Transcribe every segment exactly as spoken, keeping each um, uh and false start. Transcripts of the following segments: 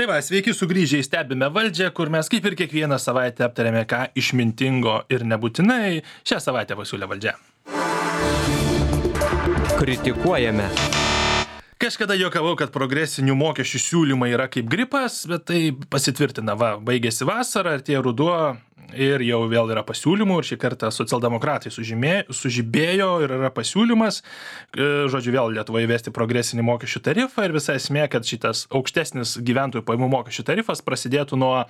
Tai va, sveiki sugrįžę į Stebime valdžią, kur mes kaip ir kiekvieną savaitę aptarėme, ką išmintingo ir nebūtinai šią savaitę pasiūlė valdžia. Kritikuojame. Kažkada juokavau, kad progresinių mokesčių siūlymai yra kaip gripas, bet tai pasitvirtina, va, baigėsi vasara, artėja ruduo ir jau vėl yra pasiūlymų ir šį kartą socialdemokratai sužymė, sužibėjo ir yra pasiūlymas, žodžiu, vėl Lietuvoje įvesti progresinį mokesčių tarifą ir visa esmė, kad šitas aukštesnis gyventojų pajamų mokesčių tarifas prasidėtų nuo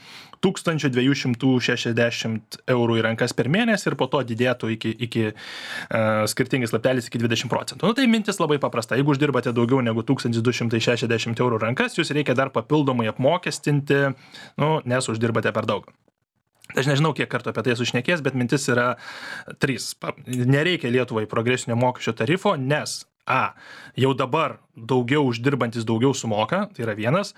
tūkstančio dviejų šimtų šešiasdešimt eurų į rankas per mėnesį ir po to didėtų iki, iki uh, skirtingais laptelis iki dvidešimt procentų. Nu tai mintis labai paprasta. Jeigu uždirbate daugiau negu tūkstantis du šimtai šešiasdešimt eurų rankas, jūs reikia dar papildomai apmokestinti, nu, nes uždirbate per daug. Aš nežinau, kiek kartų apie tai sušnekės, bet mintis yra trys. Nereikia Lietuvai progresinio mokesčio tarifo, nes A. Jau dabar daugiau uždirbantis daugiau sumoka, tai yra vienas.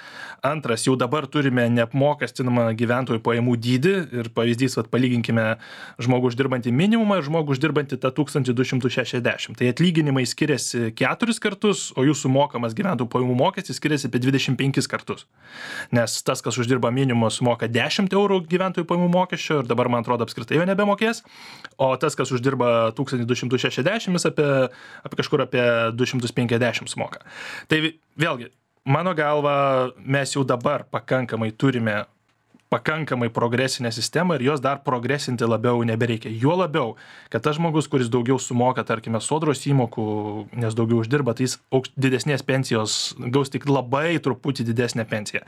Antras, jau dabar turime neapmokestinamą gyventojų pajamų dydį ir pavyzdys, vat, palyginkime žmogų uždirbantį minimumą ir žmogų uždirbantį tą tūkstantį du šimtus šešiasdešimt. Tai atlyginimai skiriasi keturis kartus, o jų sumokamas gyventojų pajamų mokestis skiriasi apie dvidešimt penkis kartus. Nes tas, kas uždirba minimumą, sumoka dešimt eurų gyventojų pajamų mokesčio ir dabar, man atrodo, apskritai jo nebemokės, o tas, kas uždirba tūkstantį du šimtus šešiasdešimt, jis apie, apie kažkur apie du šimtus penkiasdešimt moka. Tai vėlgi, mano galva, mes jau dabar pakankamai turime pakankamai progresinę sistemą ir jos dar progresinti labiau nebereikia. Juo labiau, kad tas žmogus, kuris daugiau sumoka, tarkime, sodros įmokų, nes daugiau uždirba, tai jis didesnės pensijos gaus tik labai truputį didesnę pensiją.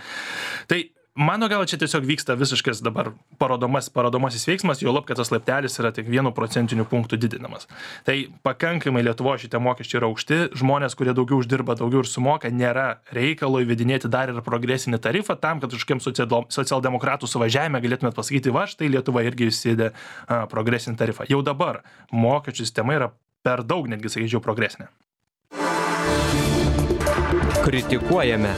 Tai mano gal čia tiesiog vyksta visiškas dabar parodomas, parodomasis veiksmas, jo lab, kad tas laiptelis yra tik vienu procentiniu punktu didinamas. Tai pakankamai Lietuvoje šitie mokesčiai yra aukšti, žmonės, kurie daugiau uždirba, daugiau ir sumoka, nėra reikalo įvedinėti dar ir progresinį tarifą tam, kad kažkokiam socialdemokratų suvažiavime galėtumėt pasakyti, va, štai Lietuva irgi įsidė a, progresinį tarifą. Jau dabar mokesčių sistema yra per daug, netgi sakyčiau, progresinė. Kritikuojame.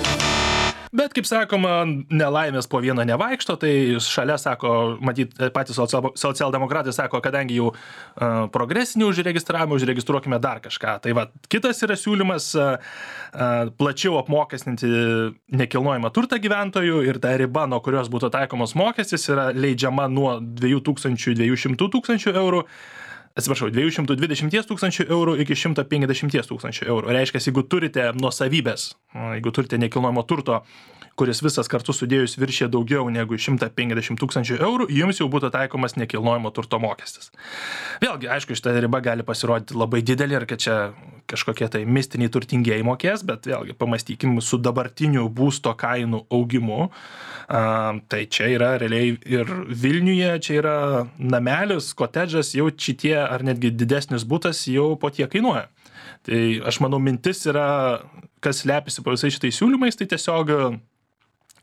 Bet, kaip sakoma, nelaimės po vieną nevaikšto, tai šalia sako, matyt, patys socialdemokratai sako, kadangi jau uh, progresinį užregistravimą, užregistruokime dar kažką. Tai va, kitas yra siūlymas uh, uh, plačiau apmokestinti nekilnojamą turtą gyventojų ir ta riba, nuo kurios būtų taikomos mokestis, yra leidžiama nuo dviejų tūkstančių dviejų šimtų tūkstančių eurų. Atsiprašau, dviejų šimtų dvidešimt tūkstančių eurų iki šimto penkiasdešimt tūkstančių eurų. Reiškia, jeigu turite nuosavybės, jeigu turite nekilnojamo turto, kuris visas kartu sudėjus viršė daugiau negu šimtą penkiasdešimt tūkstančių eurų, jums jau būtų taikomas nekilnojamo turto mokestis. Vėlgi, aišku, šita riba gali pasirodyti labai didelė ir kad čia kažkokie tai mistiniai turtingieji mokės, bet vėlgi pamastykim su dabartiniu būsto kainų augimu. Uh, tai čia yra realiai ir Vilniuje, čia yra namelis, kotedžas, jau šitie ar netgi didesnis butas jau po tiek kainuoja. Tai aš manau, mintis yra, kas slepiasi po visais šitais siūlymais, tai tiesiog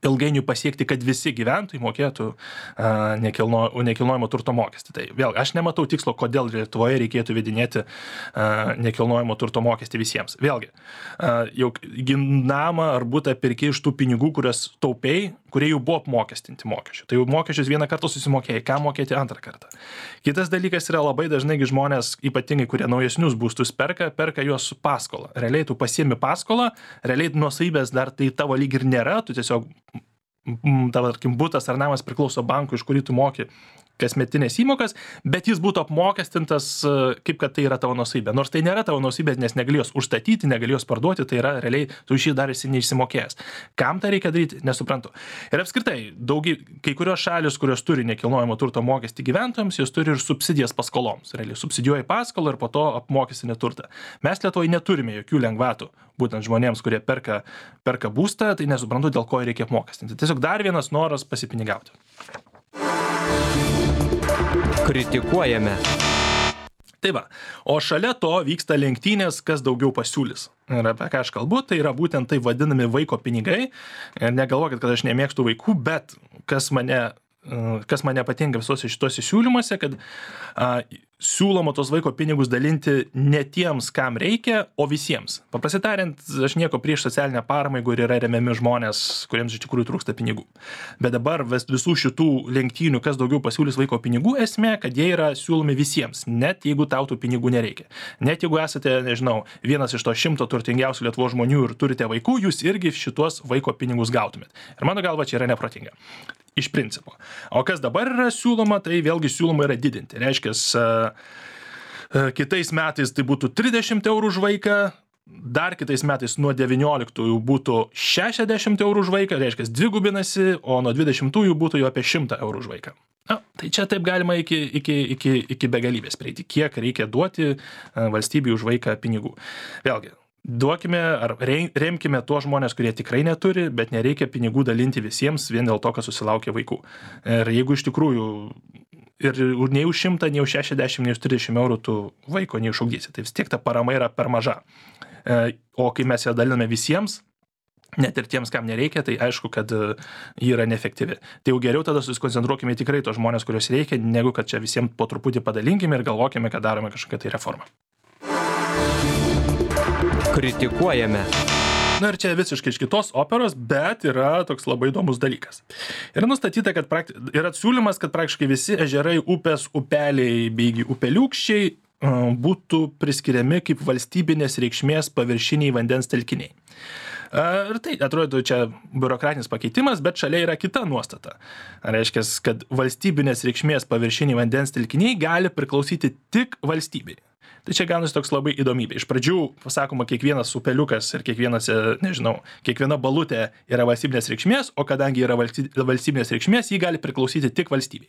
ilgainiui pasiekti, kad visi gyventojai mokėtų uh, nekilno, nekilnojamo turto mokestį. Tai vėl, aš nematau tikslo, kodėl Lietuvoje reikėtų vedinėti uh, nekilnojamo turto mokestį visiems. Vėlgi, uh, jau namą ar butą pirki iš tų pinigų, kurias taupiai, kurie jau buvo apmokestinti mokesčių. Tai jau mokesčius vieną kartą susimokėjai, ką mokėti antrą kartą. Kitas dalykas yra labai dažnai žmonės, ypatingai kurie naujesnius būstus perka, perka juos su paskola. Realiai tu pasiemi paskolą, realiai nuosavybės dar tai tavo lyg ir nėra, tu tiesiog tavo, tarkim, butas ar namas priklauso bankui, iš kurį tu moki kasmetinės įmokas, bet jis būtų apmokestintas, kaip kad tai yra tavo nuosavybė. Nors tai nėra tavo nuosavybė, nes negalėjos užstatyti, negalėjos parduoti, tai yra realiai tu šį dar esi neišsimokėjęs. Kam tą reikia daryti, nesuprantu. Ir apskritai, daugiai, kai kurios šalis, kurios turi nekilnojamo turto mokestį gyventojams, jos turi ir subsidijas paskoloms. Realiai subsidijuoja paskolą ir po to apmokestinė turtą. Mes Lietuvoje neturime jokių lengvatų, būtent žmonėms, kurie perka, perka būstą, tai nesuprantu, dėl ko reikia apmokestinti. Tiesiog dar vienas noras pasipinigauti. Kritikuojame. Tai va, o šalia to vyksta lenktynės, kas daugiau pasiūlys. Ir apie ką aš kalbu, tai yra būtent tai vadinami vaiko pinigai. Ir negalvokit, kad aš nemėgstu vaikų, bet kas mane, kas mane patinka visuose šituose siūlymuose, kad a, siūloma tos vaiko pinigus dalinti ne tiems, kam reikia, o visiems. Paprastai tariant, aš nieko prieš socialinę paramą, jeigu yra remiami žmonės, kuriems iš tikrųjų trūksta pinigų. Bet dabar visų šitų lenktynių, kas daugiau pasiūlys vaiko pinigų, esmė, kad jie yra siūlomi visiems, net jeigu tau tų pinigų nereikia. Net jeigu esate, nežinau, vienas iš to šimto turtingiausių Lietuvos žmonių ir turite vaikų, jūs irgi šitos vaiko pinigus gautumėt. Ir mano galva, čia yra neprotinga. Iš principo. O kas dabar yra siūloma, tai vėlgi siūloma yra didinti. Reiškia, kitais metais tai būtų trisdešimt eurų už vaiką, dar kitais metais nuo devynioliktųjų būtų šešiasdešimt eurų už vaiką, reiškia, dvigubinasi, o nuo dvidešimtųjų būtų jau apie šimtą eurų už vaiką. Na, tai čia taip galima iki, iki, iki, iki begalybės prieiti, kiek reikia duoti valstybei už vaiką pinigų. Vėlgi, duokime ar remkime tuos žmonės, kurie tikrai neturi, bet nereikia pinigų dalinti visiems vien dėl to, kad susilaukia vaikų. Ir jeigu iš tikrųjų ir nei už šimtą, nei už šešiasdešimt, nei už trisdešimt eurų tu vaiko neišugdysi, tai vis tiek ta parama yra per maža. O kai mes ją daliname visiems, net ir tiems, kam nereikia, tai aišku, kad ji yra neefektyvi. Tai jau geriau tada susikoncentruokime tikrai tos žmonės, kurios reikia, negu kad čia visiems po truputį padalinkime ir galvokime, kad darome kažkokią tai reformą. Kritikuojame. Na ir čia visiškai iš kitos operos, bet yra toks labai įdomus dalykas. Yra nustatyta, kad prakti... yra siūlymas, kad praktiškai visi ežerai, upės, upeliai bei upeliūkščiai būtų priskiriami kaip valstybinės reikšmės paviršiniai vandens telkiniai. Ir tai atrodo čia biurokratinis pakeitimas, bet šalia yra kita nuostata. Reiškia, kad valstybinės reikšmės paviršiniai vandens telkiniai gali priklausyti tik valstybei. Tai čia gaunasi toks labai įdomybė. Iš pradžių, pasakoma, kiekvienas upeliukas ir kiekvienas, nežinau, kiekviena balutė yra valstybinės reikšmės, o kadangi yra valstybinės reikšmės, jį gali priklausyti tik valstybei.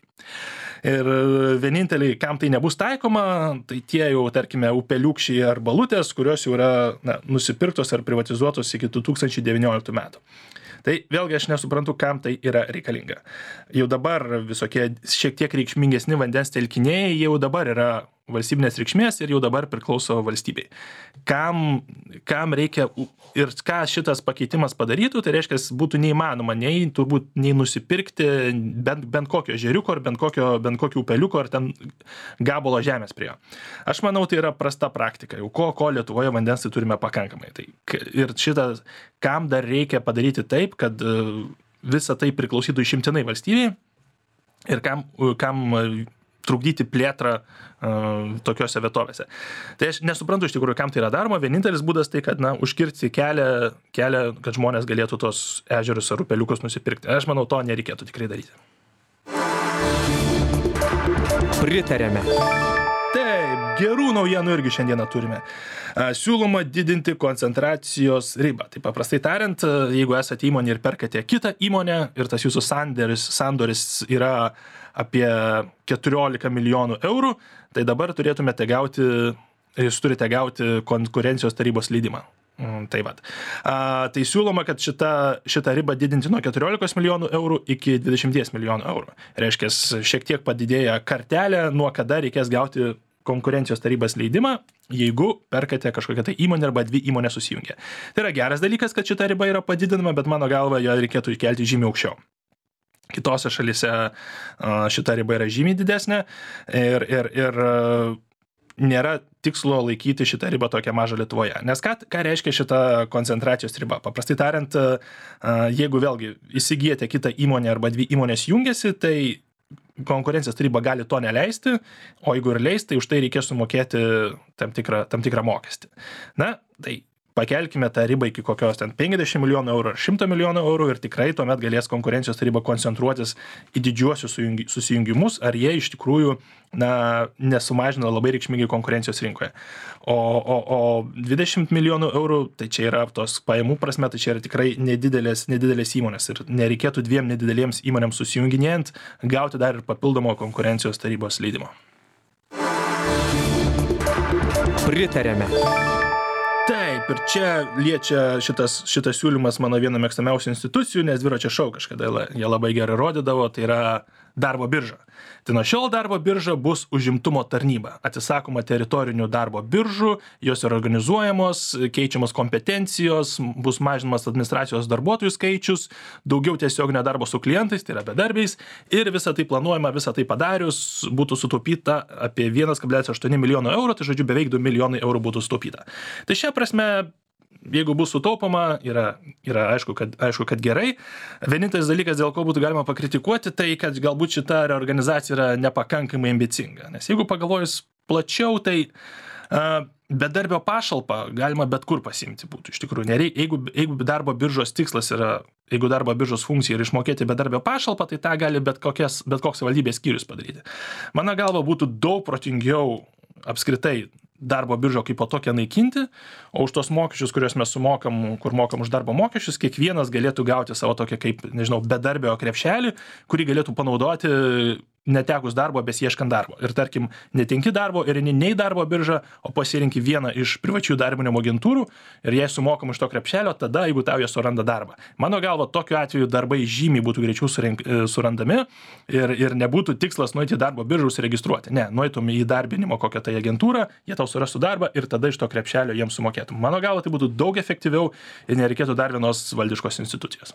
Ir vieninteliai, kam tai nebus taikoma, tai tie jau, tarkime, upeliukščiai ar balutės, kurios jau yra na, nusipirktos ar privatizuotos iki du tūkstančiai devynioliktų metų. Tai vėlgi aš nesuprantu, kam tai yra reikalinga. Jau dabar visokie šiek tiek reikšmingesni vandens telkiniai jau dabar yra valstybinės reikšmės ir jau dabar priklauso valstybei. Kam, kam reikia ir ką šitas pakeitimas padarytų, tai reiškia, būtų neįmanoma nei, turbūt, nei nusipirkti bent, bent kokio ežeriuko ar bent kokio, bent kokio upeliuko ar ten gabalo žemės prie jo. Aš manau, tai yra prasta praktika. Jau ko, ko Lietuvoje vandens tai turime pakankamai. Tai, ir šitas, kam dar reikia padaryti taip, kad visa tai priklausytų išimtinai valstybei ir kam, kam trukdyti plėtrą uh, tokiose vietovėse. Tai aš nesuprantu iš tikrųjų, kam tai yra daroma. Vienintelis būdas tai, kad na, užkirsti kelią, kelią, kad žmonės galėtų tos ežerus ar upeliukus nusipirkti. Aš manau, to nereikėtų tikrai daryti. Pritarėme. Taip, gerų naujienų irgi šiandieną turime. Siūloma didinti koncentracijos ribą. Tai paprastai tariant, jeigu esate įmonė ir perkate kitą įmonę ir tas jūsų sandoris, sandoris yra apie keturiolika milijonų eurų, tai dabar turėtumėte gauti, jūs turite gauti konkurencijos tarybos leidimą. Tai vat. A, tai siūloma, kad šitą, šitą ribą didinti nuo keturiolikos milijonų eurų iki dvidešimt milijonų eurų. Reiškia, šiek tiek padidėja kartelė, nuo kada reikės gauti konkurencijos tarybos leidimą, jeigu perkate kažkokią tai įmonę arba dvi įmonės susijungia. Tai yra geras dalykas, kad šita riba yra padidinama, bet mano galva, jo reikėtų įkelti žymiai aukščiau. Kitose šalyse šita riba yra žymiai didesnė ir, ir, ir nėra tikslo laikyti šitą ribą tokią mažą Lietuvoje. Nes ką, ką reiškia šita koncentracijos riba? Paprastai tariant, jeigu vėlgi įsigijate kitą įmonę arba dvi įmonės jungiasi, tai konkurencijos taryba gali to neleisti, o jeigu ir leis, tai už tai reikės sumokėti tam tikrą, tam tikrą mokestį. Na, tai pakelkime tą ribą iki kokios ten penkiasdešimt milijonų eurų ar šimto milijonų eurų ir tikrai tuomet galės konkurencijos taryba koncentruotis į didžiuosius susijungimus, ar jie iš tikrųjų na, nesumažina labai reikšmingai konkurencijos rinkoje. O, o, o dvidešimt milijonų eurų, tai čia yra tos pajamų prasme, tai čia yra tikrai nedidelės, nedidelės įmonės ir nereikėtų dviem nedidelėms įmonėms susijunginėjant gauti dar ir papildomo konkurencijos tarybos leidimo. Pritarėme. Taip, ir čia liečia šitas, šitas siūlymas mano viena mėgstamiausių institucijų, nes dviračio šou kažkada jie labai gerai rodydavo, tai yra darbo birža. Tai nuo šiol darbo birža bus užimtumo tarnyba. Atsisakoma teritorinių darbo biržų, jos yra organizuojamos, keičiamos kompetencijos, bus mažinamas administracijos darbuotojų skaičius, daugiau tiesioginio darbo su klientais, tai yra bedarbiais, ir visą tai planuojama, visą tai padarius būtų sutaupyta apie vienas kablelis aštuoni milijono eurų, tai žodžiu beveik du milijonai eurų būtų sutaupyta. Tai šia prasme, jeigu bus sutaupoma, yra, yra aišku, kad, aišku, kad gerai. Vienintelis dalykas, dėl ko būtų galima pakritikuoti, tai kad galbūt šita reorganizacija yra nepakankamai ambicinga. Nes jeigu pagalvojus plačiau, tai uh, bedarbio pašalpą galima bet kur pasiimti būtų. Iš tikrųjų, nereik, jeigu, jeigu darbo biržos tikslas yra, jeigu darbo biržos funkcija yra išmokėti bedarbio pašalpą, tai tą gali bet, kokias, bet koks valdybės skyrius padaryti. Mano galva būtų daug protingiau apskritai darbo biržą kaip po tokią naikinti, o už tos mokesčius, kuriuos mes sumokam, kur mokam už darbo mokesčius, kiekvienas galėtų gauti savo tokią kaip, nežinau, bedarbio krepšelį, kurį galėtų panaudoti netekus darbo, besieškant darbo. Ir tarkim, netinki darbo ir nei darbo biržą, o pasirinki vieną iš privačių darbinimo agentūrų ir jei sumokam iš to krepšelio, tada, jeigu tau jie suranda darbą. Mano galva, tokiu atveju darbai žymiai būtų greičiau surink, surandami ir, ir nebūtų tikslas nueiti į darbo biržą užsiregistruoti. Ne, nueitum į darbinimo kokią tai agentūrą, jie tau surastų darbą ir tada iš to krepšelio jiems sumokėtum. Mano galva, tai būtų daug efektyviau ir nereikėtų dar vienos valdiškos institucijos.